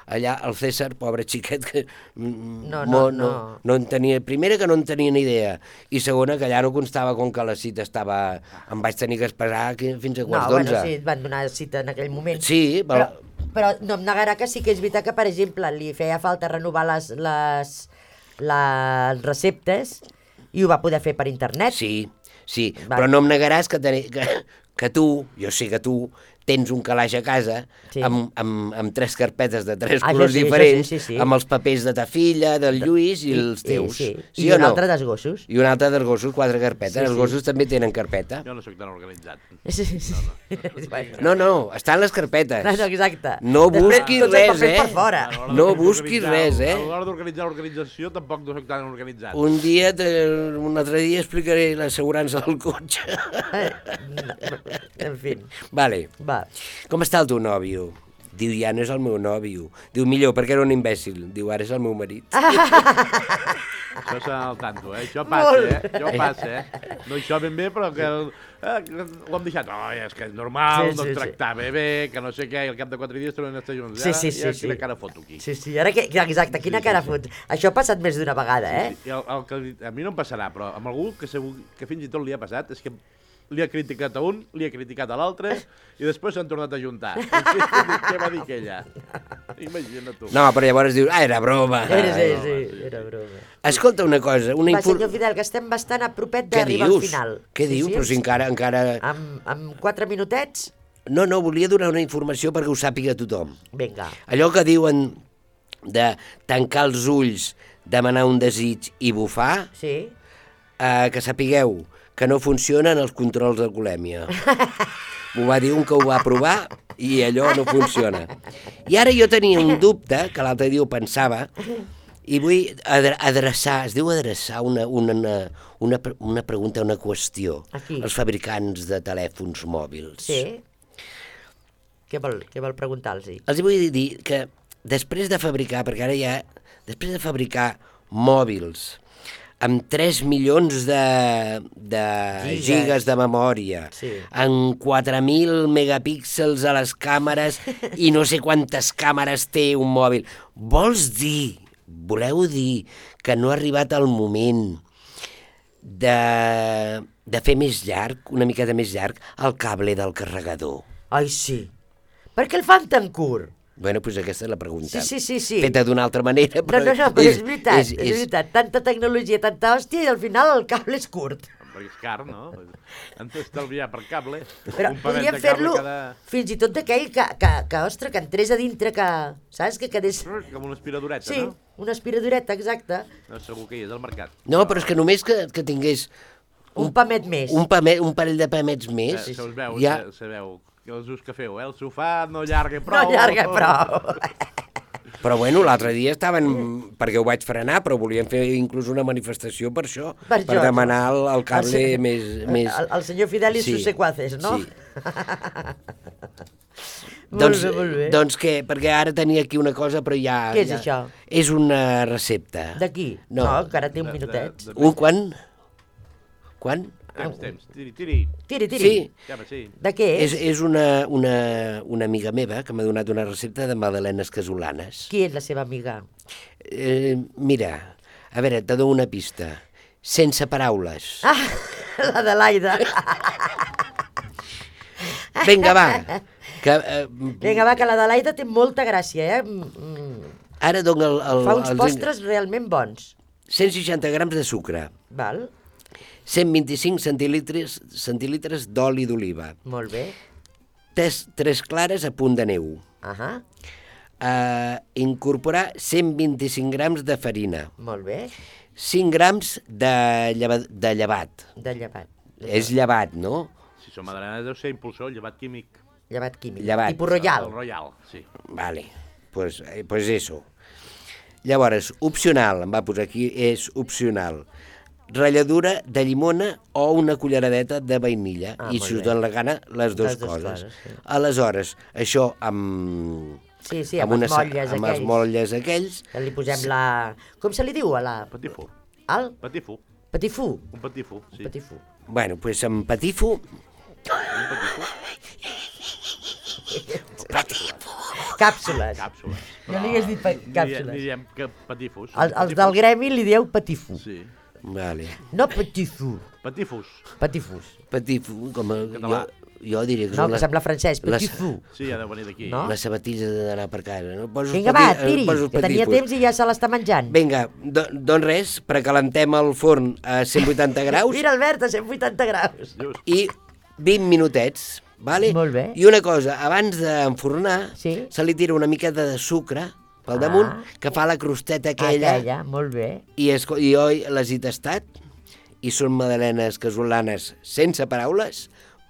allà el César, pobre xiquet, que no en tenia... Primera, que no en tenia ni idea, i segona, que allà no constava com que la cita estava... Em vaig tenir que esperar fins a quarts d'11. Bueno, sí, et van donar cita en aquell moment. Sí, però no em negarà que sí que és veritat que, per exemple, li feia falta renovar les receptes i ho va poder fer per internet. Sí, però no em negaràs que tu, jo sé que tu, tens un calaix a casa amb 3 carpetes de 3 colors diferents, amb els papers de ta filla, del Lluís i els teus. I un altre dels gossos. I un altre dels gossos, 4 carpetes. Els gossos també tenen carpeta. Jo no sóc tan organitzat. No, estan les carpetes. Exacte. No busquis res, No busquis res, A l'hora d'organitzar l'organització tampoc no sóc tan organitzat. Un altre dia explicaré l'assegurança del cotxe. En fi. Vale. Va. Com està el teu nòvio? Diu, ja no és el meu nòvio. Diu, millor, perquè era un imbècil. Diu, ara és el meu marit. Això serà al tanto, Això passa, Això passa, No això ben bé, però que ho hem deixat. És que és normal, no et tractava bé, que no sé què, i al cap de 4 dies tornem a estar junts. Sí. Quina cara foto aquí. Sí, ara exacte, quina cara fot. Això ha passat més d'una vegada, I el que a mi no em passarà, però amb algú que segur que fins i tot li ha passat, és que li ha criticat a un, li ha criticat a l'altre, i després s'han tornat a ajuntar. Què va dir aquella? Imagina't tu. No, però llavors dius, era broma. Sí, era broma. Escolta una cosa. Va, senyor Fidel, que estem bastant a propet d'arribar al final. Què dius? Però si encara... Amb 4 minutets? No, volia donar una informació perquè ho sàpiga tothom. Vinga. Allò que diuen de tancar els ulls, demanar un desig i bufar, que sapigueu que no funcionen els controls d'alcoholèmia. M'ho va dir un que ho va provar i allò no funciona. I ara jo tenia un dubte, que l'altre dia ho pensava, i vull adreçar, es diu adreçar una pregunta, una qüestió als fabricants de telèfons mòbils. Sí? Què vol preguntar-los? Els vull dir que després de fabricar, perquè ara ja, després de fabricar mòbils amb 3 milions de gigas de memòria, amb 4.000 megapíxels a les càmeres i no sé quantes càmeres té un mòbil. Voleu dir que no ha arribat el moment de fer més llarg, una miqueta més llarg, el cable del carregador? Ai, sí. Per què el fan tan curt? Bueno, doncs aquesta és la pregunta. Sí. Feta d'una altra manera, però... No, però és veritat. Tanta tecnologia, tanta hòstia, i al final el cable és curt. Perquè és car, no? Han d'estalviar per cable. Però podríem fer-lo fins i tot d'aquell que entrés a dintre, que, saps, que quedés... Com una aspiradoreta, no? Sí, una aspiradoreta, exacte. No, segur que hi és al mercat. No, però és que només que tingués... Un pamet més. Un parell de pamets més. Se us veu, sabeu els ús que feu, el sofà no llarga prou. No llarga prou. Però bueno, l'altre dia estaven, perquè ho vaig frenar, però volien fer inclús una manifestació per això, per demanar el cable més... El senyor Fidel i sus secuaces, no? Sí. Molt bé. Doncs què? Perquè ara tenia aquí una cosa, però ja... Què és això? És una recepta. D'aquí? No. Encara té un minutet. Quan? Temps. Tiri. Tiri. Sí. Ja, sí. De què és? És una amiga meva que m'ha donat una recepta de magdalenes casolanes. Qui és la seva amiga? Mira, a veure, te dono una pista. Sense paraules. La de l'Aida. Vinga, va. Vinga, va, que la de l'Aida té molta gràcia, Ara dono Fa uns postres realment bons. 160 grams de sucre. Val? 125 centilitres d'oli d'oliva. Molt bé. 3 clares a punt de neu. Incorporar 125 grams de farina. Molt bé. 5 grams de llevat. De llevat. És llevat, no? Si som magdalenes deu ser impulsor, llevat químic. Llevat químic. Llevat. Tipus Royal. El Royal, sí. Vale, pues eso. Llavors, opcional, em va posar aquí, és opcional. Ratlladura de llimona o una culleradeta de vainilla. I si us dona la gana, les dues coses. Sí. Aleshores, això amb... Sí, amb els motlles amb els motlles aquells. Que li posem la... Com se li diu a la... Petit fou. Al? Petit fou. Petit fou? Un petit fou, sí. Petit fou. Bueno, doncs amb patifo... Càpsules. No li hagués dit càpsules. Diem que patifos. Els del gremi li dieu patifo. Sí. Vale. No patifo. Patifos. Patifos. Patifo, com a... Català. Jo diria que No, que sembla francès, patifo. Sí, ha de venir d'aquí. No? Les sabatilles d'anar per casa. No? Vinga, va, tiri, que tenia temps i ja se l'està menjant. Vinga, doncs res, precalentem el forn a 180 graus. Mira, Albert, a 180 graus. I 20 minutets, vale? Molt bé. I una cosa, abans d'enfornar, Sí. se li tira una miqueta de sucre pel damunt, que fa la crosteta aquella. Molt bé. I jo les he tastat, i són magdalenes casolanes sense paraules,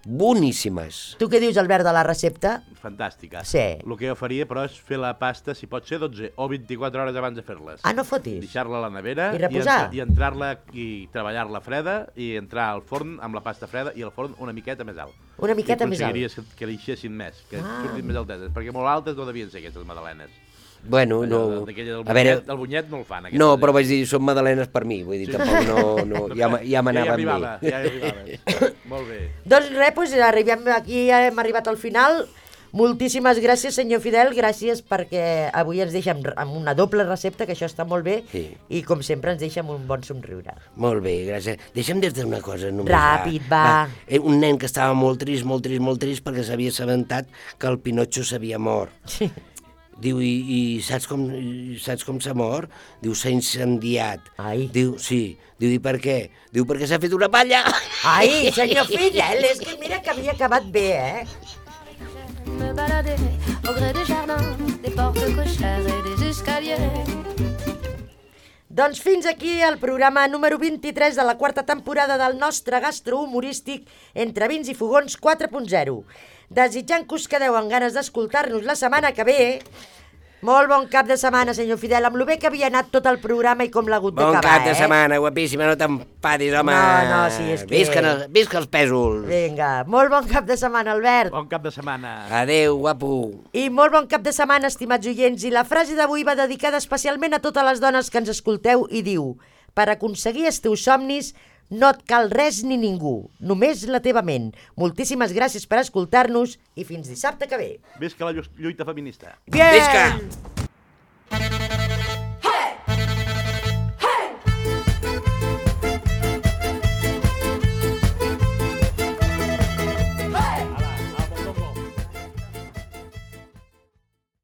boníssimes. Tu què dius, Albert, de la recepta? Fantàstica. Sí. El que jo faria, però, és fer la pasta, si pot ser 12 o 24 hores abans de fer-les. No fotis. Deixar-la a la nevera I reposar. i entrar-la i treballar-la freda i entrar al forn amb la pasta freda i el forn una miqueta més alt. Una miqueta més alt. I aconseguiries que deixessin més, que surtin més alteses, perquè molt altes no devien ser aquestes magdalenes. Bueno, no... A veure... Del bunyet no el fan. No, però vaig dir, són magdalenes per mi, vull dir, tampoc no... Ja m'anava amb mi. Ja arribava. Molt bé. Doncs res, arribem aquí, hem arribat al final. Moltíssimes gràcies, senyor Fidel, gràcies perquè avui ens deixa amb una doble recepta, que això està molt bé, i com sempre ens deixa amb un bon somriure. Molt bé, gràcies. Deixa'm dir-te una cosa només. Ràpid, va. Un nen que estava molt trist perquè s'havia assabentat que el Pinotxo s'havia mort. Sí. Diu, i saps com s'ha mort? Diu, s'ha incendiat. Ai. Diu, sí. Diu, i per què? Diu, perquè s'ha fet una palla. Ai, senyor Fidel, és que mira que havia acabat bé, Me balader au gré des jardins, des portes cochères et des escaliers. Doncs fins aquí el programa número 23 de la quarta temporada del nostre gastrohumorístic Entre vins i fogons 4.0. Desitjant que us quedeu amb ganes d'escoltar-nos la setmana que ve. Molt bon cap de setmana, senyor Fidel, amb lo bé que havia anat tot el programa i com l'ha hagut d'acabar, Bon cap de setmana, guapíssima, no t'empadis, home. No, sí, és que... Visca els pèsols. Vinga, molt bon cap de setmana, Albert. Bon cap de setmana. Adéu, guapo. I molt bon cap de setmana, estimats oients. I la frase d'avui va dedicada especialment a totes les dones que ens escolteu i diu: per aconseguir els teus somnis no et cal res ni ningú, només la teva ment. Moltíssimes gràcies per escoltar-nos i fins dissabte que ve. Visca la lluita feminista. Bien! Visca!